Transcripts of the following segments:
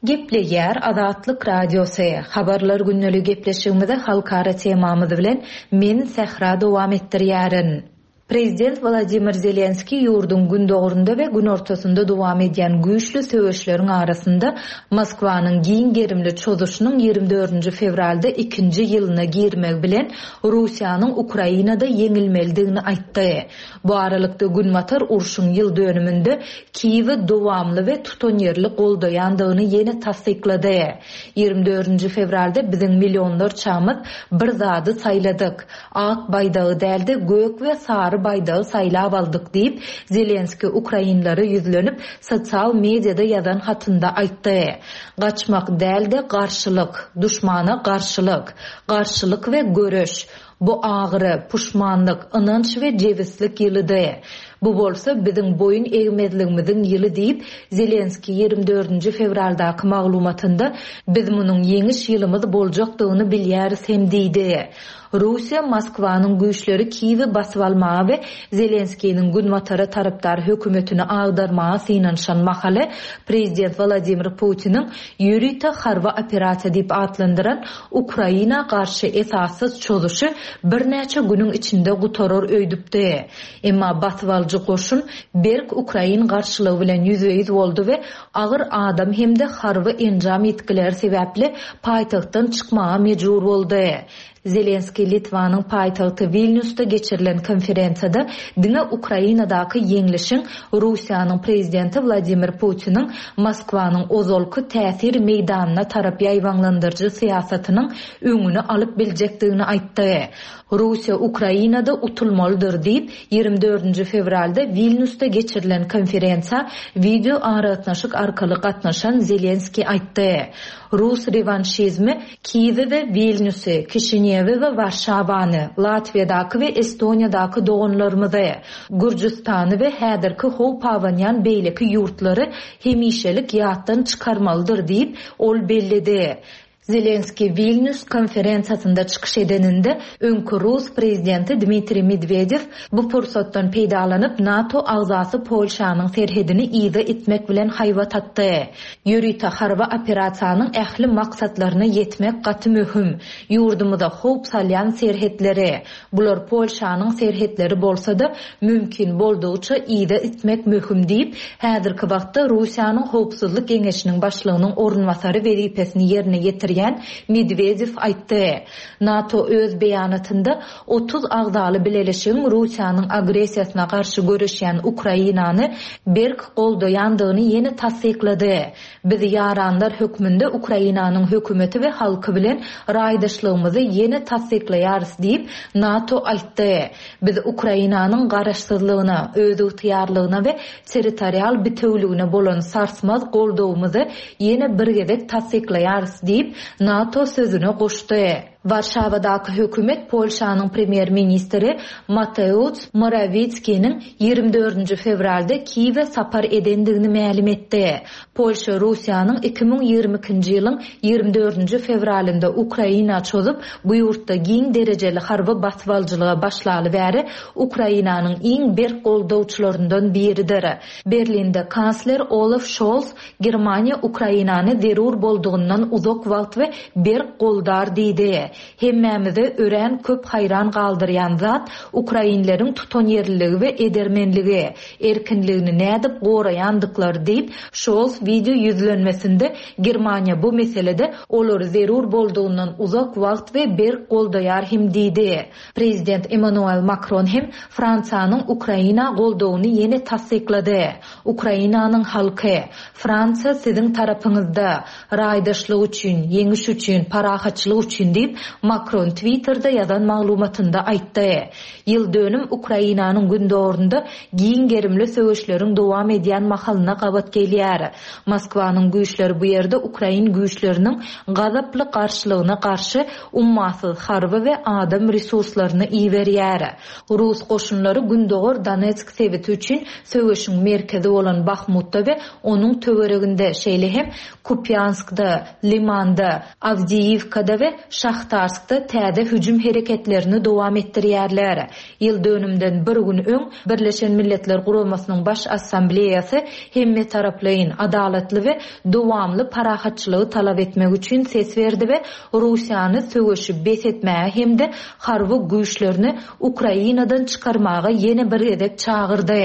Gepleýär Azatlyk Radiosy, Habarlar gündeligi gepleşigimizi halkara temamyz bilen men Sähra dowam etdirýärin. Prezident Wladimir Zelenskiý ýurduň gündogarynda we günortasynda dowam edýän güýçli söweşleriň arasynda Moskwanyň giň gerimli çozuşynyň 24 fewralda ikinji ýylyna girmegi bilen Russiýanyň Ukrainada ýeňilmelidigini aýtdy. Bu aralykda, Günbatar urşuň ýyl dönüminde Kiýewi dowamly we tutanýerli goldaýandygyny ýene tassyklady. 24 fewralda biziň millionlarçamyz bir zady saýladyk. Ak baýdagy däl-de, gök we sary baýdagy saýlap aldyk diýip, Zelenskiý ukrainlere ýüzlenip, sosial mediada ýazan hatynda aýtdy. Gaçmak däl-de, garşylyk. Duşmana garşylyk. Garşylyk we göreş. Bu agyry, puşmanlyk, ynanç we jebislik ýylydy. Bu bolsa biziň boýun egmezligimiziň ýyly diýip, Zelenskiý 24 fewraldaky maglumatynda, Biz munuň ýeňiş ýylymyz boljakdygyny bilýäris hem diýdi. Russiýa Moskwanyň güýçleri Kiýewi basyp almaga we Zelenskiniň Günbatara tarapdar hökümetini agdarmaga synanyşan mahaly, prezident Wladimir Putiniň ýörite harby operasiýa diýip atlandyran Ukraina garşy esassyz çozuşy birnäçe günüň içinde gutarar öýdüpdi. Emma basybalyjy goşun berk ukrain garşylygy bilen ýüzbe-ýüz boldy we agyr adam hem-de harby enjam ýitgileri sebäpli paýtagtdan çykmaga mejbur boldy. Zelenskiý Litwanyň paýtagty Wilnýusda geçirilen konferensiýada diňe Ukrainadaky ýeňlişiň Russiýanyň prezidenti Wladimir Putiniň Moskwanyň ozalky täsir meýdanyna tarap ýaýbaňlandyryjy syýasatynyň öňüni alyp biljekdigini aýtdy. Russiýa Ukrainada utulmalydyr diýip, 24 fewralda Wilnýusda geçirilen konferensiýa wideoaragatnaşyk arkaly gatnaşan Zelenskiý aýtdy. Rus rewanşizmi Kiýewi we Wilnýusy, Kişinýewi we Warşawany, Latwiýadaky we Estoniýadaky doganlarymyzy, Gürjüstany we häzirki howp abanýan beýleki ýurtlary hemişelik ýatdan çykarmalydyr diýip, ol belledi. Zelenskiý Wilnýus konferensiýasynda çykyş edeninde, öňki rus prezidenti Dmitriý Medwedew bu pursatdan peýdalanyp, NATO agzasy Polşanyň serhedini yza itmek bilen haýbat atdy. Ýörite harby operasiýanyň ähli maksatlaryna ýetmek gaty möhüm. Ýurdumyza howp salýan serhetleri, bular Polşanyň serhetleri bolsa-da, mümkin boldugyça yza itmek möhüm diýip, häzirki wagtda Russiýanyň Howpsuzlyk geňeşiniň başlygynyň orunbasary wezipesini ýerine ýetirýän Medwedew aýtdy. NATO öz beýanatynda 30 agzaly bileleşigiň Russiýanyň agressiýasyna garşy göreşýän Ukrainany berk goldaýandygyny ýene tassyklady. Biz ýaranlar hökmünde Ukrainanyň hökümeti we halky bilen raýdaşlygymyzy ýene tassyklaýarys diýip, NATO aýtdy. Biz Ukrainanyň garaşsyzlygyna, özygtyýarlygyna we territorial bitewüligine bolan sarsmaz goldawymyzy ýene bir gezek tassyklaýarys diýip, NATO sözüne goşdy. Warşawadaky hökümet Polşanyň premýer-ministri Mateusz Morawickiniň 24 fewralda Kiýewe sapar edendigini mälim etdi. Polşa Russiýanyň 2022-nji ýylyň 24 fewralynda Ukraina çozup, bu ýurtda giň derejeli harby basybalyjylyga başlaly bäri Ukrainanyň iň berk goldawçylaryndan biridir. Berlinde kansler Olaf Şols Germaniýa Ukrainany zerur boldugyndan uzak wagt we berk goldar diýdi. Hemmämizi örän köp haýran galdyrýan zat ukrainleriň tutanýerliligi we edermenligi, erkinligini nädip goraýandyklary diýip, Şols wideo ýüzlenmesinde Germaniýa bu meselede olary zerur boldugyndan uzak wagt we berk goldaýar hem diýdi. Prezident Emmanuel Makron hem Fransiýanyň Ukraina goldawyny ýene tassyklady. Ukrainanyň halky, Fransiýa siziň tarapyňyzda! Raýdaşlyk üçin, ýeňiş üçin, parahatçylyk üçin diýip, Makron Twitterde ýazan maglumatynda aýtdy. Ýyl dönüm Ukrainanyň gündogarynda giň gerimli söweşleriň dowam edýän mahalyna gabat gelýär. Moskwanyň güýçleri bu ýerde ukrain güýçleriniň gazaply garşylygyna garşy ummasyz harby we adam resurslaryny iberýär. Rus goşunlary gündogar Donetsk sebiti üçin söweşiň merkezi bolan Bahmutda we onuň töwereginde, şeýle hem Kupýanskda, Limanda, Awdiýiwkada we Şahtaryň. Şahtarskda täze hüjüm hereketlerini dowam etdirýärler. Ýyl dönümden bir gün öň Birleşen Milletler Guramasynyň Baş Assambleýasy hemmetaraplaýyn, adalatly we dowamly parahatçylygy talap etmek üçin ses berdi we Russiýany söweşi bes etmäge hem-de harby güýçlerini Ukrainadan çykarmaga ýene bir gezek çagyrdy.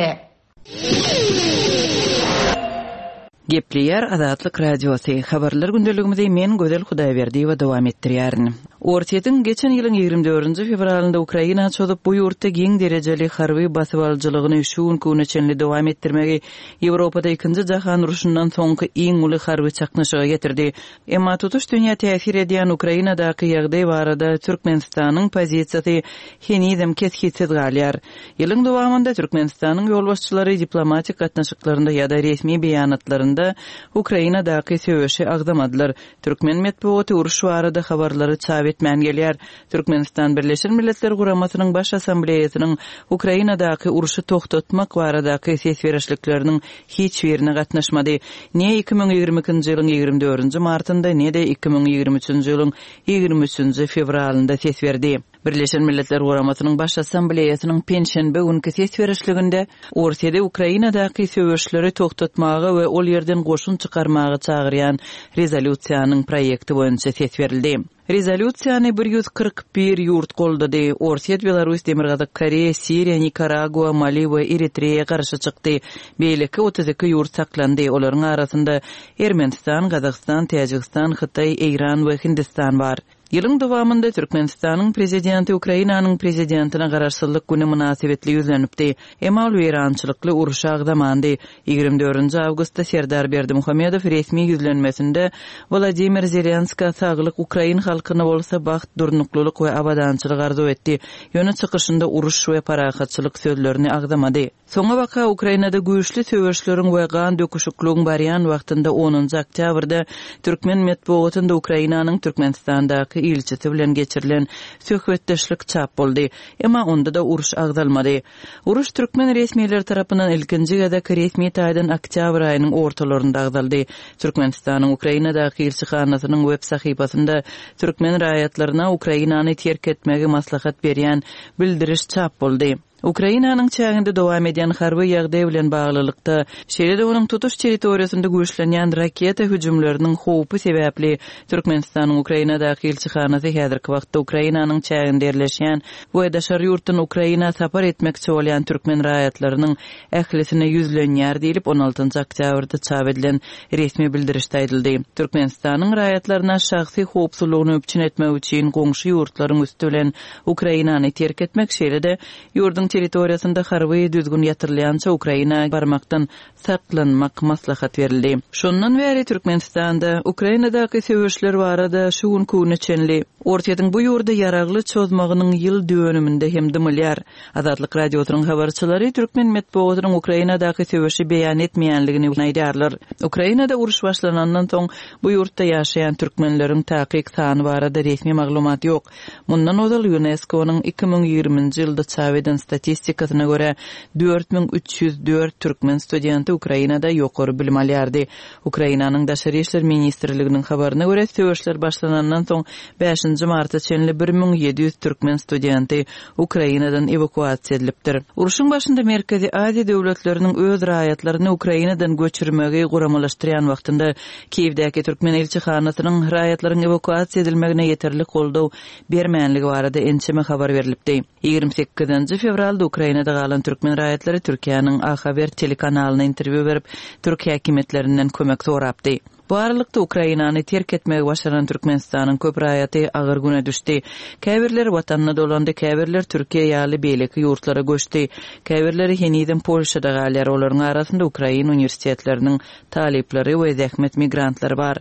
Gepleýär Azatlyk Radiosy, Habarlar gündeligimizi men Gözel Hudaýberdiýewa dowam etdirýärin. Orsýetiň geçen ýylyň 24-nji fewralynda Ukraina çozup, bu ýurtda giň derejeli harby basybalyjylygyny şu günki güne çenli dowam etdirmegi Ýewropada Ikinji jahan urşundan soňky iň uly harby çaknyşyga getirdi. Emma tutuş dünýä täsir edýän Ukrainadaky ýagdaý barada Türkmenistanyň pozisiýasy henizem kesgitsiz galýar. Ýylyň dowamynda Türkmenistanyň ýolbaşçylary diplomatik gatnaşyklarynda ýa-da resmi beýanatlarynda Ukrainadaky söweşi agzamadylar. Türkmen metbugaty uruş barada habarlary çap etmän gelýär. Türkmenistan Birleşen Milletler Guramasynyň Baş Assambleýasynyň Ukrainadaky urşy togtatmak baradaky ses berişlikleriniň hiç birine gatnaşmady. Ne 2022-nji ýylyň 24-nji martynda, ne-de 2023-nji ýylyň 23-nji fewralynda ses berdi. Birleşen Milletler Guramasynyň Baş Assambleýasynyň penşenbe günki ses berişliginde Orsýeti Ukrainadaky söweşleri togtatmaga we ol ýerden goşun çykarmaga çagyrýan rezolýusiýanyň proýekti boýunça ses berildi. Rezolýusiýany 141 ýurt goldady. Orsýet, Belarus, Demirgazyk Koreýa, Siriýa, Nikaragua, Mali we Eritreýa garşy çykdy. Beýleki 32 ýurt saklandy. Olaryň arasynda Ermenistan, Gazagystan, Täjigistan, Hytaý, Eýran we Hindistan bar. Ýylyň dowamynda Türkmenistanyň Prezidenti Ukrainanyň Prezidentine Garaşsyzlyk güni mynasybetli ýüzlenipdi. Emma ol weýrançylykly urşy agzamandy. 24-nji awgustda Serdar Berdimuhamedow resmi ýüzlenmesinde Wladimir Zelenskä saglyk, ukrain halkyna bolsa bagt, durnuklylyk we abadançylyk arzuw etdi. Ýöne çykyşynda uruş we parahatçylyk sözlerini agzamady. Soňabaka Ukrainada güýçli söweşleriň we gan döküşikligiň barýan wagtynda onunjy oktýabrda türkmen metbugatynda Ukrainanyň Türkmenistandaky ilçisi bilen geçirilen söhbetdeşlik çap boldy. Emma onda-da uruş agzalmady. Uruş türkmen resmileri tarapyndan ilkinji gezek resmi taýdan oktýabr aýynyň ortalarynda agzaldy. Türkmenistanyň Ukrainadaky ilçihanasynyň web sahypasynda türkmen raýatlaryna Ukrainany terk etmegi maslahat berýän bildiriş çap boldy. Ukrainanyň çäginde dowam edýän harby ýagdaý bilen baglylykda, şeýle-de onuň tutuş territoriýasynda güýçlenýän raketa hüjümleriniň howpy sebäpli Türkmenistanyň Ukrainadaky ilçihanasy häzirki wagtda Ukrainanyň çäginde ýerleşýän we daşary ýurtdan Ukraina sapar etmekçi bolýan türkmen raýatlarynyň ählisine ýüzlenýär diýlip, on altynjy oktýabrda çap edilen resmi bildirişde aýdyldy. Türkmenistanyň raýatlaryna şahsy howpsuzlygyny üpjün etmek üçin goňşy ýurtlaryň üsti bilen Ukrainany terk etmek, şeýle-de ýurduň territoriýasynda harby düzgün ýatyrylýança Ukraina barmakdan saklanmak maslahat berildi. Şondan bäri Türkmenistanda Ukrainadaky söweşler barada şu günki güne çenli Orsýetiň bu ýurda ýaragly çozmagynyň ýyl dönüminde hem dymylýar. Azatlyk Radiosynyň habarçylary türkmen metbugatynyň Ukrainadaky söweşi beýan etmeýänligini aýdýarlar. Ukrainada uruş başlanandan soň bu ýurtda ýaşaýan türkmenleriň takyk sany barada resmi maglumat ýok. Mundan ozal ÝUNESKO-nyň 2020-nji ýylda çap eden statistikasyna görä, 4304 türkmen studenti Ukrainada ýokary bilim alýardy. Ukrainanyň Daşary işler ministrliginiň habaryna görä, söweşler başlanandan soň bäşinji marta çenli 1700 türkmen studenti Ukrainadan ewakuasiýa edilipdir. Urşuň başynda Merkezi Aziýa döwletleriniň öz raýatlaryny Ukrainadan göçürmegi guramalaşdyrýan wagtynda Kiýewdäki türkmen ilçihanasynyň raýatlaryň ewakuasiýa edilmegine ýeterlik goldaw bermänligi barada ençeme habar berlipdi. 28-nji fewralda Ukrainada galan türkmen raýatlary Türkiýäniň A Haber telekanalyna interwýu berip, türk häkimiýetlerinden kömek sorapdy. Bu aralykda, Ukrainany terk etmegi başaran Türkmenistanyň köp raýaty agyr güne düşdi. Käbirleri watanyna dolandy, käbirleri Türkiýe ýaly beýleki ýurtlara göçdi. Käbirleri henizem Polşada galýar, olaryň arasynda ukrain uniwersitetleriniň talyplary we zähmet migrantlary bar.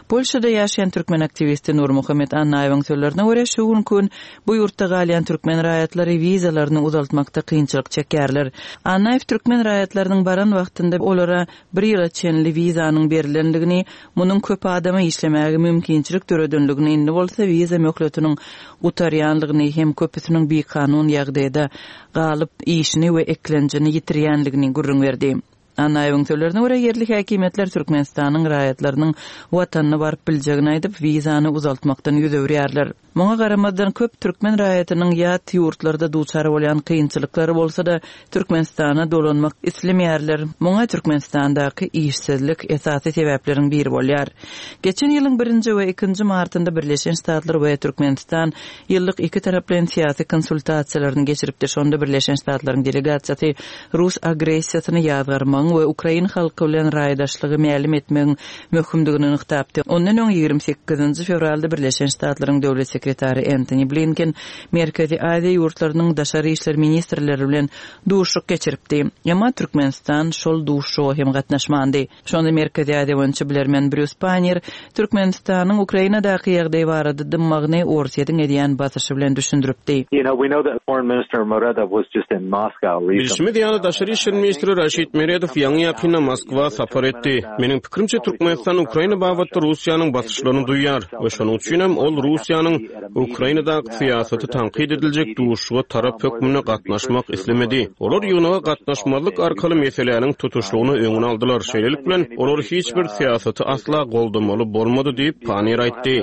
Polşada ýaşaýan türkmen aktiwisti Nurmuhammet Annaýewiň sözlerine görä, şu günki gün bu ýurtda galýan türkmen raýatlary wizalaryny uzaltmakda kynçylyk çekýärler. Annaýew türkmen raýatlarynyň baran wagtynda olara bir ýyla çenli wizanyň berlendigini, munuň köp adama işlemäge mümkinçilik döredenligini, indi bolsa wiza möhletiniň gutarýanlygyny hem köpüsiniň bikanun ýagdaýda galyp, işini we eklenjini ýitirýänligini gürrüň berdi. Annaýewiň sözlerine görä, ýerli häkimiýetler Türkmenistanyň raýatlarynyň watanyna baryp biljegini aýdyp, wizany uzaltmakdan ýüz öwürýärler. Muňa garamazdan, köp türkmen raýatynyň ýat ýurtlarda duçar bolýan kynçylyklary bolsa-da, Türkmenistana dolanmak islemeýärler. Muňa Türkmenistandaky işsizlik esasy sebäpleriň biri bolýar. Geçen ýylyň birinji we ikinji martynda Birleşen Ştatlar we Türkmenistan ýyllyk ikitaraplaýyn syýasy konsultasiýalaryny geçiripdi. Şonda Birleşen Ştatlaryň delegasiýasy rus agressiýasyny ýazgarmagyň we ukrain halky bilen raýdaşlygy mälim etmegiň möhümdigini nygtapdy. Ondan öň 28-nji fewralda Birleşen Ştatlaryň Döwlet sekretary Entoni Blinken Merkezi Aziýa ýurtlarynyň daşary işler ministrleri bilen duşuşyk geçiripdi. Emma Türkmenistan şol duşuşyga hem gatnaşmandy. Şonda Merkezi Aziýa boýunça bilermen Brýus Pannier Türkmenistanyň Ukrainadaky ýagdaý barada dymmagyny Orsýetiň edýän basyşy bilen düşündiripdi. Bilşimiz ýaly, daşary işler ministri Raşid Meredow ýaňy-ýakynda Moskwa sapar etdi. Meniň pikirimçe, Türkmenistan Ukraina babatda Russiýanyň basyşlaryny duýýar we şonuň üçinem ol Russiýanyň Ukrainadaky syýasaty tankyt ediljek duşuşyga tarap hökmünde gatnaşmak islemedi. Olar ýygnaga gatnaşmazlyk arkaly meseläniň tutuşlygyna öňüni aldylar. Şeýlelik bilen, olar hiç bir syýasaty asla goldamaly bolmady diýip, Panniýer aýtdy.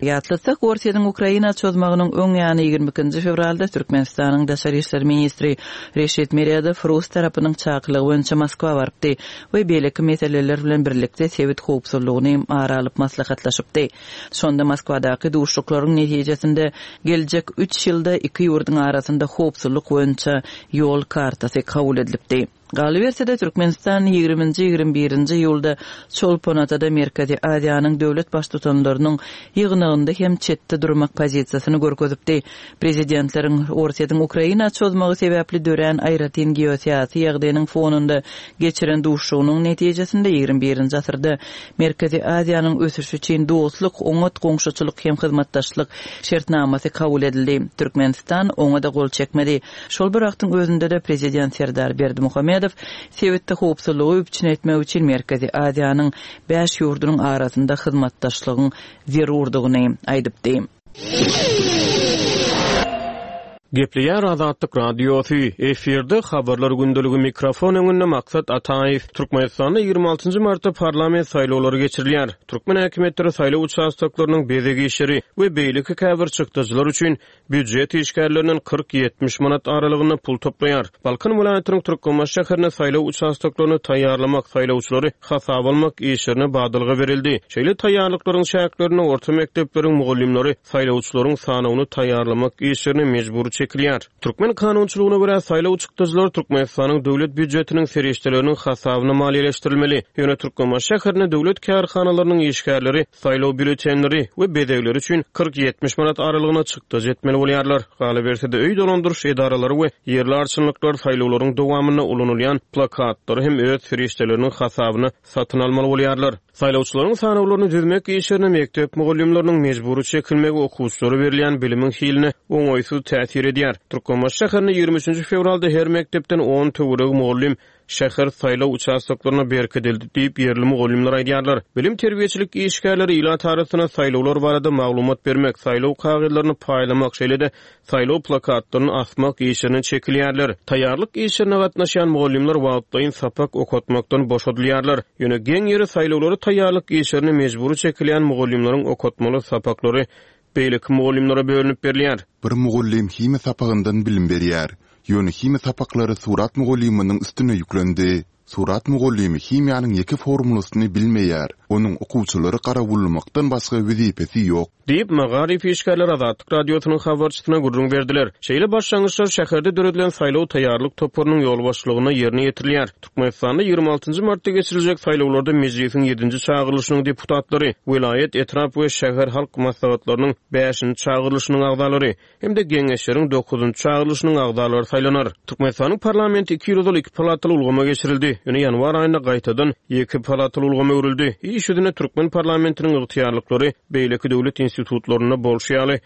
Ýatlatsak, Orsýetiň Ukraina çozmagynyň öň ýany 22-nji fewralda Türkmenistanyň daşary işler ministri Reşit Meredow rus tarapynyň çakylygy boýunça Moskwa barypdy we beýleki meseleler bilen birlikde sebit howpsuzlygyny ara alyp maslahatlaşypdy. Şonda Moskwadaky duşuşyklaryň netijesinde geljek üç ýylda iki ýurduň arasynda howpsuzlyk boýunça ýol kartasy kabul edilipdi. Galyberse-de, Türkmenistan ýigriminji, 21-nji iýulda Çolpon-Atada Merkezi Aziýanyň döwlet Baştutanlarynyň ýygnagynda hem çetde durmak pozisiýasyny görkezipdi. Prezidentleriň Orsýetiň Ukraina çozmagy sebäpli dörän aýratyn geosyýasy ýagdaýynyň fonunda geçiren duşuşygynyň netijesinde 21-nji asyrda Merkezi Aziýanyň ösüşi üçin dostluk, oňat goňşuçylyk hem hyzmatdaşlyk şertnamasy kabul edildi. Türkmenistan oňa-da gol çekmedi. Şol bir wagtyň özünde-de prezident Serdar Berdimuhamedow sebitde howpsuzlygy üpjün etmek üçin Merkezi Aziýanyň bäş ýurdunyň arasynda hyzmatdaşlygyň zerurdygyny aýdypdy. Gepleýär Azatlyk Radiosy, efirde Habarlar gündeligi mikrofon öňünde Maksat Ataýew. Türkmenistanda 26-njy martda parlament saýlawlary geçirilýär. Türkmen häkimiýetleri saýlaw uçastoklarynyň bezeg işleri we beýleki käbir çykdajylar üçin Býujet işgärlerinden 40-70 manat aralygynda pul toplaýar. Balkan welaýatynyň Türkmenbaşy şäherinde saýlaw uçastoklaryny taýýarlamak, saýlawçylary hasaba almak işlerine badalga berildi. Şeýle taýýarlyklaryň çäklerinde orta mekdepleriň mugallymlary saýlawçylaryň sanawyny taýýarlamak işlerine mejbury çekilýär. Türkmen kanunçylygyna görä, saýlaw çykdajylary Türkmenistanyň döwlet býujetiniň serişdeleriniň hasabyna maliýeleşdirilmeli. Ýöne Türkmenbaşy şäherinde döwlet kärhanalarynyň işgärleri Saýlaw býulletenleri we bezegleri üçin 40-70 manat aralygynda çykdajy etmeli bolýarlar. Galyberse-de, öý dolandyryş edaralary we ýerli arçynlyklar saýlawlaryň dowamynda ulanylýan plakatlary hem öz serişdeleriniň hasabyna satyn almaly bolýarlar. Saýlawçylaryň sanawlaryny düzmek işlerine mekdep mugallymlarynyň mejbury çekilmegi okuwçylara berilýän bilimiň hiline oňaýsyz täsir edýär. Türkmenbaşy şäherinde 23-nji fewralda her mekdepden on töweregi mugallym Şäher saýlaw uçastoklaryna berkidildi diýip, ýerli mugallymlar aýdýarlar. Bilim-terbiýeçilik işgärleri ilat arasynda saýlawlar barada maglumat bermek, saýlaw kagyzlaryny paýlamak, şeýle-de saýlaw plakatlaryny asmak işlerine çekilýärler. Taýýarlyk işlerine gatnaşýan mugallymlar wagtlaýyn sapak okatmakdan boşadylýarlar. Ýöne geň ýeri, saýlawlara taýýarlyk işlerine mejbury çekilýän mugallymlaryň okatmaly sapaklary beýleki mugallymlara bölünip berilýär. Bir mugallym himiýa sapagyndan bilim berýär. Ýöne himiýa sapaklary surat mugallymynyň üstüne ýüklendi. Surat mugallymy himiýanyň ýeke formulasyny bilmeýär. Onuň okuwçylary garawullamakdan başga wezipesi ýok. Diýip, magaryf işgärleri Azatlyk Radiosynyň habarçysyna gürrüň berdiler. Şeýle başlangyçlar şäherde döredilen saýlaw taýýarlyk toparynyň ýolbaşçylygynda ýerine ýetirilýär. Türkmenistanda 26-njy martda geçiriljek saýlawlarda Mejlisiň ýedinji çagyrylyşynyň deputatlary, welaýat, etrap we şäher halk maslahatlarynyň bäşinji çagyrylyşynyň agzalary hem-de Geňeşleriň dokuzynjy çagyrylyşynyň agzalary saýlanar. Türkmenistanyň parlamenti iki ýyl ozal iki palataly ulgama geçirildi, ýöne ýanwar aýynda gaýtadan ýeke palataly ulgama öwrüldi. Iş ýüzünde türkmen parlamentiniň ygtyýarlyklary beýleki döwlet institutlarynda bolşy ýaly.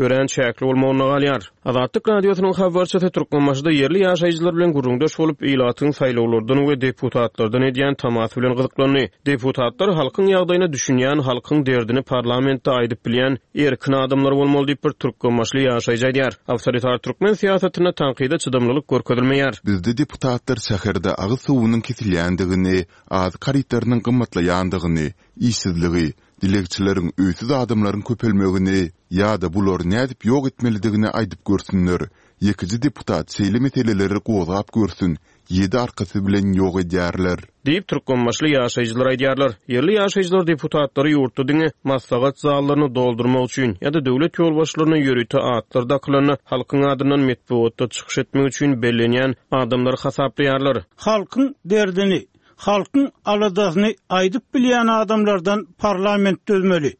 örän çäkli bolmagynda galýar. Azatlyk Radiosynyň habarçysy Türkmenbaşyda ýerli ýaşaýjylar bilen gürrüňdeş bolup, ilatyň saýlawlardan we deputatlardan edýän tamasy bilen gyzyklandy. Deputatlar halkyň ýagdaýyna düşünýän, halkyň derdini parlamentde aýdyp bilýän erkin adamlar bolmaly diýip, bir türkmenbaşyly ýaşaýjy aýdýar. Awtoritar türkmen syýasatynda tankyda çydamlylyk görkezilmeýär. Bizde deputatlar şäherde agyz suwunyň kesilýändigini, azyk harytlarynyň gymmatlaýandygyny, işsizligi, dilegçileriň, öýsüz adamlaryň köpelmegini ýa-da bulary nädip ýok etmelidigini aýdyp görsünler. Ýekeje deputat şeýle meseleleri gozgap görsün, ýedi arkasy bilen ýok edýärler. Diýip, türkmenbaşyly ýaşaýjylar aýdýarlar. Ýerli ýaşaýjylar deputatlary ýurtda diňe maslahat zallaryny doldurmak üçin ýa-da döwlet ýolbaşçylaryna ýörite atlar dakylanda halkyň adyndan metbugatda çykyş etmek üçin bellenýän adamlar hasaplaýarlar. Halkyň derdini, halkyň aladasyny aýdyp bilýän adamlardan parlament düzmeli.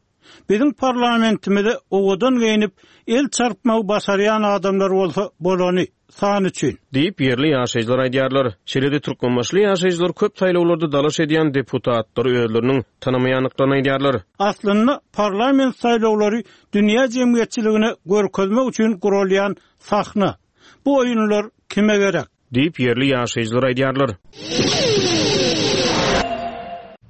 Biziň parlamentimize owadan geýnip, el çarpmagy başarýan adamlar bolsa bolany, san üçin. Diýip, ýerli ýaşaýjylar aýdýarlar. Şeýle-de türkmenbaşyly ýaşaýjylar köp saýlawlarda dalaş edýän deputatlary özleriniň tanamaýandyklaryny aýdýarlar. Aslynda parlament saýlawlary dünýä jemgyýetçiligine görkezmek üçin guralýan sahna. Bu oýunlar kime gerek? Diýip, ýerli ýaşaýjylar aýdýarlar.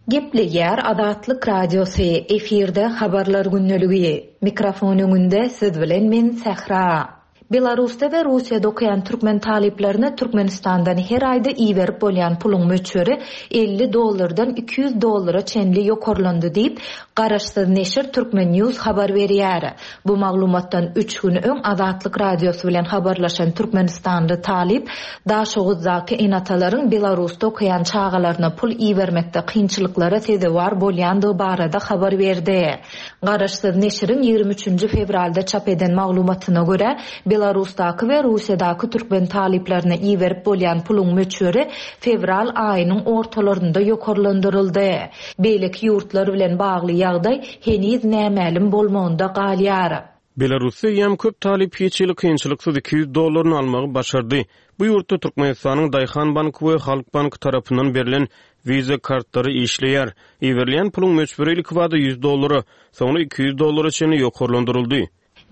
Gepleýär Azatlyk Radiosy, efirde Habarlar gündeligi. Mikrofon öňünde siz bilen men Sähra. Belarusda we Russiýada okaýan türkmen talyplaryna Türkmenistandan her aýda iberip bolýan puluň möçberi 50 dollardan 200 dollara çenli ýokarlandy diýip, garaşsyz neşir Turkmen News habar berýär. Bu maglumatdan üç gün öň Azatlyk Radiosy bilen habarlaşan türkmenistanly talyp Daşoguzdaky ene-atalaryň Belarusda okaýan çagalaryna pul ibermekde kynçylyklara sezewar bolýandygy barada habar berdi. Garaşsyz neşiriň ýigrimi üçünji fewralda çap eden maglumatyna görä, Belarusdaky we Russiýadaky türkmen talyplaryna iberip bolýan puluň möçberi fewral aýynyň ortalarynda ýokarlandyryldy. Beýleki ýurtlar bilen bagly ýagdaý heniz nämälim bolmagynda galýar. Belarusda eýýäm köp talyp hiç hili kynçylyksyz 200 dollaryny almagy başardy. Bu ýurtda Türkmenistanyň Daýhan banky we Halk banky tarapyndan berlen Visa kartlary işleýär. Iberilýän puluň möçberi ilkibada 100 dollara, soňra 200 dollara çenli ýokarlandyryldy.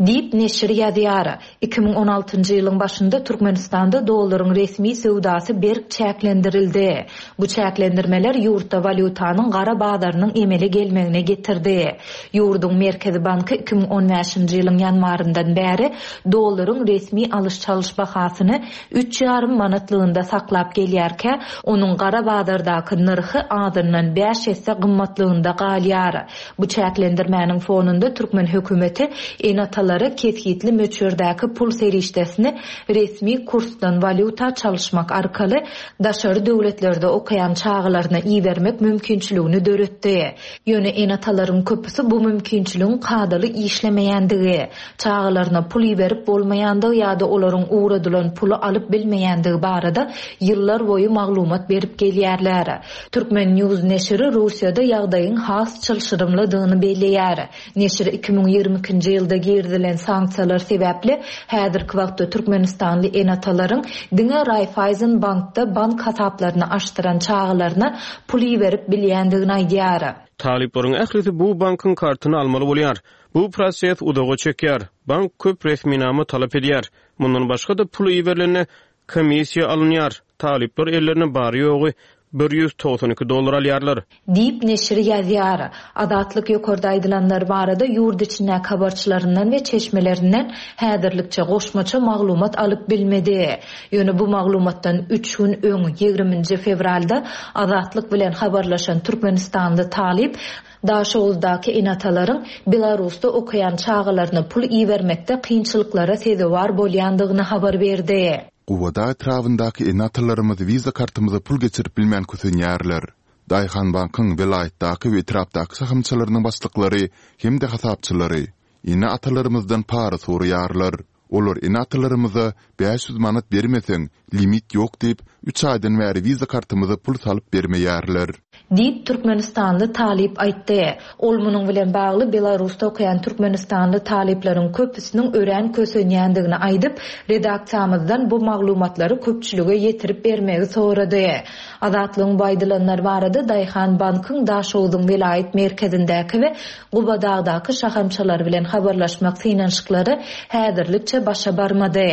Diýip, neşir ýazýar. 2016-njy ýylyň başynda Türkmenistanda dollaryň resmi söwdasy berk çäklendirildi. Bu çäklendirmeler ýurtda walýutanyň gara bazarynyň emele gelmegine getirdi. Ýurduň Merkezi banky 2015-nji ýylyň ýanwaryndan bäri dollaryň resmi alyş-çalyş bahasyny üç ýarym manatlygynda saklap gelýärkä, onuň gara bazardaky nyrhy azyndan bäş esse gymmatlygynda galýar. Bu çäklendirmäniň fonunda türkmen hökümeti ene-atalara kesgitli möçberdäki pul serişdesini resmi kursdan walýuta çalyşmak arkaly daşary döwletlerde okaýan çagalaryna ibermek mümkinçiligini döretdi. Ýöne ene-atalaryň köpüsi bu mümkinçiligiň kadaly işlemeýändigi, çagalaryna pul iberip bolmaýandygy ýa-da olaryň ugradylan puly alyp bilmeýändigi barada ýyllarboýy maglumat berip gelýärler. Turkmen. News neşiri Russiýada ýagdaýyň has çylşyrymlydygyny belleýär. Neşir 2022-nji ýylda girizilen sanksiýalar sebäpli häzirki wagtda türkmenistanly ene-atalaryň diňe Raiffeisen bankda bank hasaplaryny açdyran çagalaryna pul iberip bilýändigini aýdýar. Talyplaryň ählisi bu bankyň kartyny almaly bolýar. Bu proses uzaga çekýär. Bank köp resminama talap edýär. Mundan başga-da pul iberilende Komissiýa alynýar. Talyplar ellerine bary-ýogy 192 dollar alýarlar. Diýip, neşir ýazýar. Azatlyk ýokarda aýdylanlar barada ýurt içindäki habarçylaryndan we çeşmelerinden häzirlikçe goşmaça maglumat alyp bilmedi. Ýöne bu maglumatdan üç gün öň, ýigriminji fewralda Azatlyk bilen habarlaşan türkmenistanly talyp Daşoguzdaky ene-atalaryň Belarusda okaýan çagalaryna pul ibermekde kynçylyklara sezewar bolýandygyny habar berdi. Gubadag etrabyndaky ene-atalarymyz wiza kartymyza pul geçirip bilmän kösenýärler. Daýhanbankyň welaýatdaky we etrapdaky şahamçalarynyň başlyklary hem-de hasapçylary ene-atalarymyzdan para soraýarlar. Olar ene-atalarymyza 500 manat bermeseň, limit ýok diýip, üç aýdan bäri wiza kartymyza pul salyp bermeýärler. Diýip, türkmenistanly talyp aýtdy. Ol munuň bilen bagly Belarusda okaýan türkmenistanly talyplaryň köpüsiniň örän kösenýändigini aýdyp, redaksiýamyzdan bu maglumatlary köpçülige ýetirip bermegi sorady. Azatlygyň bu aýdylanlar barada Daýhan bankyň Daşogzuň welaýat merkezindäki we Gubadagdaky şahamçalary bilen habarlaşmak synanyşyklary häzirlikçe başa barmady.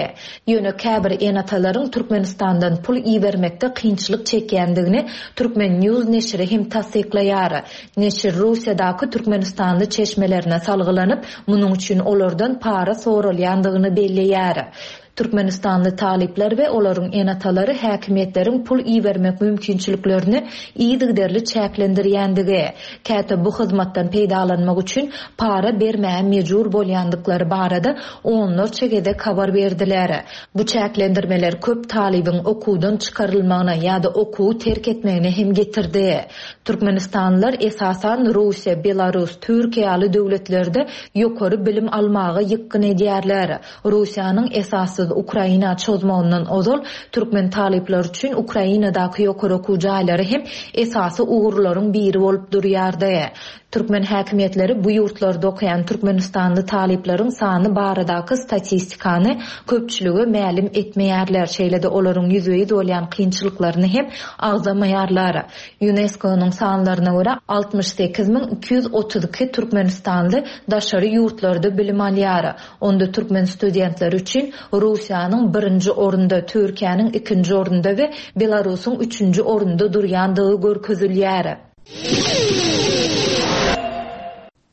Ýöne käbir ene-atalaryň Türkmenistandan pul ibermekde kynçylyk çekýändigini Turkmen. News neşiri hem tassyklaýar. Neşir Russiýadaky türkmenistanly çeşmelerine salgylanyp, munuň üçin olardan para soralýandygyny belleýär. Türkmenistanly talyplar we olaryň ene-atalary häkimiýetleriň pul ibermek mümkinçiliklerini yzygiderli çäklendirýändigi, käte bu hyzmatdan peýdalanmak üçin para bermäge mejbur bolýandyklary barada onlarça gezek habar berdiler. Bu çäklendirmeler köp talybyň okuwdan çykarylmagyna ýa-da okuwy terk etmegine hem getirdi. Türkmenistanlylar esasan Russiýa, Belarus, Türkiýe ýaly döwletlerde ýokary bilim almaga ýykgyn edýärler. Russiýanyň esassyz Ukraina çozmagyndan ozal türkmen talyplary üçin Ukrainadaky ýokary okuw jaýlary hem esasy ugurlaryň biri bolup durýardy. Türkmen häkimiýetleri bu ýurtlarda okaýan türkmenistanly talyplaryň sany baradaky statistikany köpçülige mälim etmeýärler, şeýle-de olaryň ýüzbe-ýüz bolýan kynçylyklaryny hem agzamaýarlar. Ýunesko-nyň sanlaryna görä, 68 232 türkmenistanly daşary ýurtlarda bilim alýar. Onda türkmen studentleri üçin Russiýanyň birinji orunda, Türkiýäniň ikinji orunda we Belarusyň üçünji orunda durýandygy görkezilýär.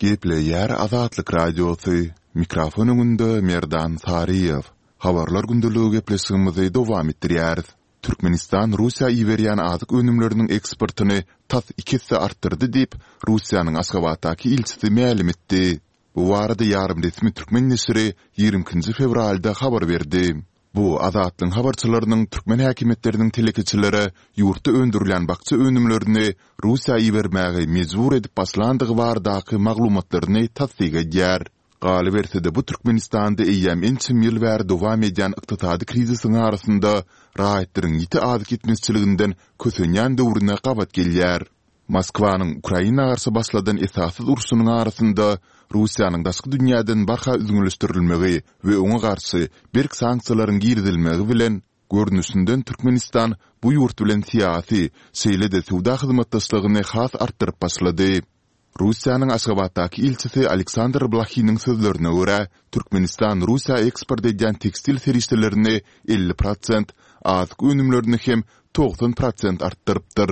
Gepleýär Azatlyk Radiosy, Mikrofon öňünde Merdan Saryýew. Habarlar gündeligi gepleşigimizi dowam etdirýäris. Türkmenistan Russiýa iberýän azyk önümleriniň eksportyny tas iki esse artdyrdy diýip, Russiýanyň Aşgabatdaky ilçisi mälim etdi. Bu barada ýarym resmi türkmen neşiri 22 nji fewralda habar berdi. Bu, Azatlygyň habarçylarynyň türkmen häkimiýetleriniň telekeçilere ýurtda öndürilýän bakja önümlerini Russiýa ibermäge mejbur edip başlandygy baradaky maglumatlaryny tassyk edýär. Galyberse-de, bu Türkmenistanda eýýäm ençeme ýyl bäri dowam edýän ykdysady krizisiň arasynda raýatlaryň ýiti azyk ýetmezçiliginden kösenýän döwrüne gabat gelýär. Moskwanyň Ukraina garşy başladan esassyz urşunyň arasynda Russiýanyň daşky dünýäden barha üzňeleşdirilmegi we oňa garşy berk sanksiýalaryň girizilmegi bilen, görnüşinden Türkmenistan bu ýurt bilen syýasy, şeýle-de söwda hyzmatdaşlygyny has artdyryp başlady. Russiýanyň Aşgabatdaky ilçisi Aleksandr Blahiniň sözlerine görä, Türkmenistan Russiýa eksport edýän tekstil serişdelerini 50 prosent, azyk önümlerini hem 90 prosent artdyrypdyr.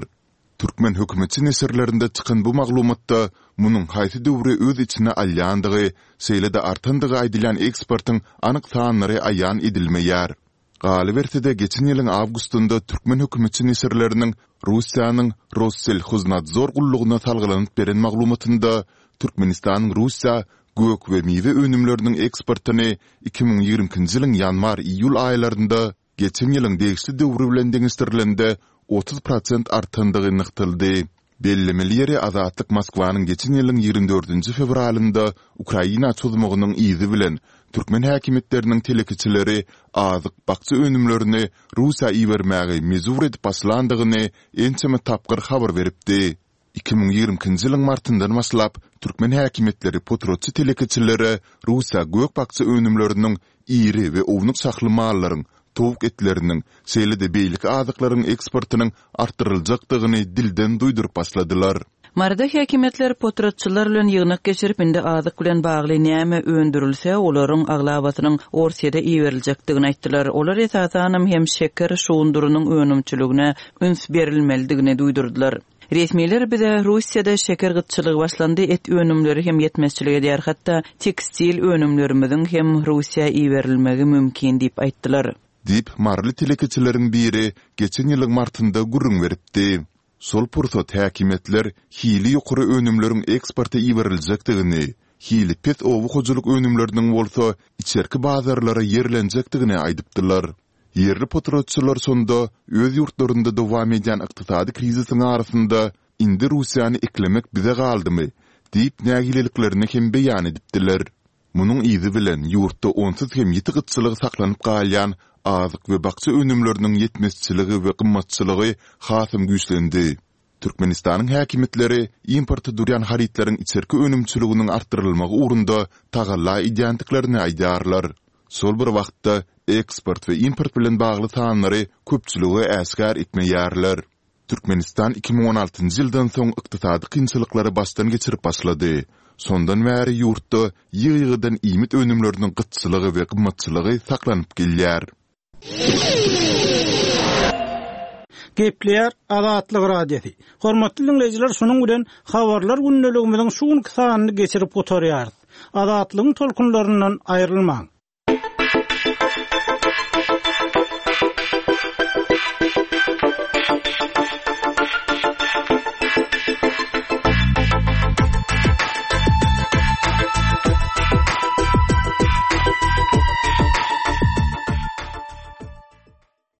Türkmen hökümetçi neşirlerinde çykan bu maglumatda munuň haýsy döwri öz içine alýandygy, şeýle-de artandygy aýdylýan eksportyň anyk sanlary aýan edilmeýär. Galyberse-de, geçen ýylyň awgustynda türkmen hökümetçi neşirleriniň Russiýanyň Rosselhoznadzor gullugyna salgylanyp beren maglumatynda Türkmenistanyň Russiýa gök we miwe önümleriniň eksportyny 2022-nji ýylyň ýanwar-iýul aýlarynda geçen ýylyň degişli döwri bilen deňeşdirilende 30 prosent artandygy nygtaldy. Bellemeli ýeri, Azatlyk Moskwanyň geçen ýylyň ýigrimi dördünji fewralynda Ukraina çozmagynyň yzy bilen, türkmen häkimiýetleriniň telekeçileri azyk, bakja önümlerini Russiýa ibermäge mejbur edip başlandygyny ençeme tapgyr habar beripdi. 2022-nji ýylyň martyndan başlap, türkmen häkimiýetleri potratçy telekeçilere Russiýa gök-bakja önümleriniň, iri we ownuk şahly mallaryň, towuk etleriniň, şeýle-de beýleki azyklaryň eksportynyň artdyryljakdygyny dilden duýduryp başladylar. Maryda häkimiýetler potratçylar bilen ýygnak geçirip, indi azyk bilen bagly näme öndürilse, olaryň aglabasynyň Orsýede iberiljekdigini aýtdylar. Olar esasanam hem şeker şugundyrynyň önümçiligine üns berilmelidigini duýdurdylar. Resmiler bize Russiýada şeker gytçylygy başlandy, et önümleri hem ýetmezçilik edýär, hatda tekstil önümlerimiziň hem Russiýa iberilmegi mümkin diýip aýtdylar. Diýip, maryly telekeçileriň biri geçen ýylyň martynda gürrüň beripdi. Şol pursat häkimiýetler hili ýokary önümleriň eksporta iberiljekdigini, hili pes oba hojalyk önümleriniň bolsa içerki bazarlara ýerlenjekdigini aýdypdylar. Ýerli potratçylar şonda öz ýurtlarynda dowam edýän ykdysady krizisiň arasynda indi Russiýany eklemek bize galdymy diýip nägileliklerini hem beýan edipdiler. Munuň yzy bilen ýurtda onsuz hem ýiti gytçylygy saklanyp galýan azyk we bakja önümleriniň ýetmezçiligi we gymmatçylygy hasam güýçlendi. Türkmenistanyň häkimiýetleri importa durýan harytlaryň içerki önümçiliginiň artdyrylmagy ugrunda tagalla edýändiklerini aýdýarlar. Şol bir wagtda, eksport we import bilen bagly sanlary köpçülige äşgär etmeýärler. Türkmenistan 2016-njy ýyldan soň ykdysady kynçylyklary başdan geçirip başlady. Şondan bäri ýurtda ýygy-ýygydan iýmit önümleriniň gytçylygy we gymmatçylygy saklanyp gelýär. Gepleýär Azatlyk Radiosy. Hormatly diňleýjiler, şunuň bilen Habarlar gündeligimiziň şu günki sanyny geçirip gutarýarys. Azatlygyň tolkunlaryndan aýrylmaň!